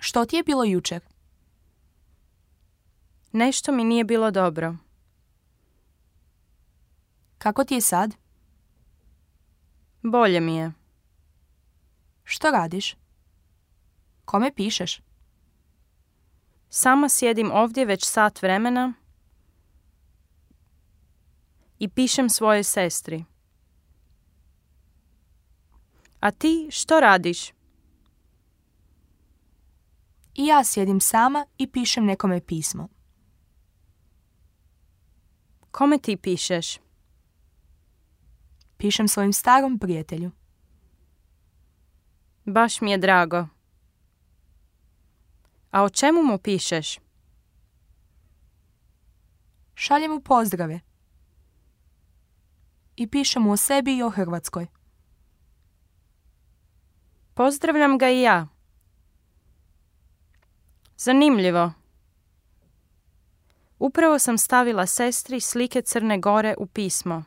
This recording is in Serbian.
Što ti je bilo jučer? Nešto mi nije bilo dobro. Kako ti je sad? Bolje mi je. Što radiš? Kome pišeš? Sama sjedim ovdje već sat vremena i pišem svojoj sestri. A ti što radiš? I ja sjedim sama i pišem nekome pismo. Kome ti pišeš? Pišem svojim starom prijatelju. Baš mi je drago. A o čemu mu pišeš? Šaljem mu pozdrave. I pišem mu o sebi i o Hrvatskoj. Pozdravljam ga i ja. Zanimljivo. Upravo sam stavila sestri slike Crne Gore u pismo.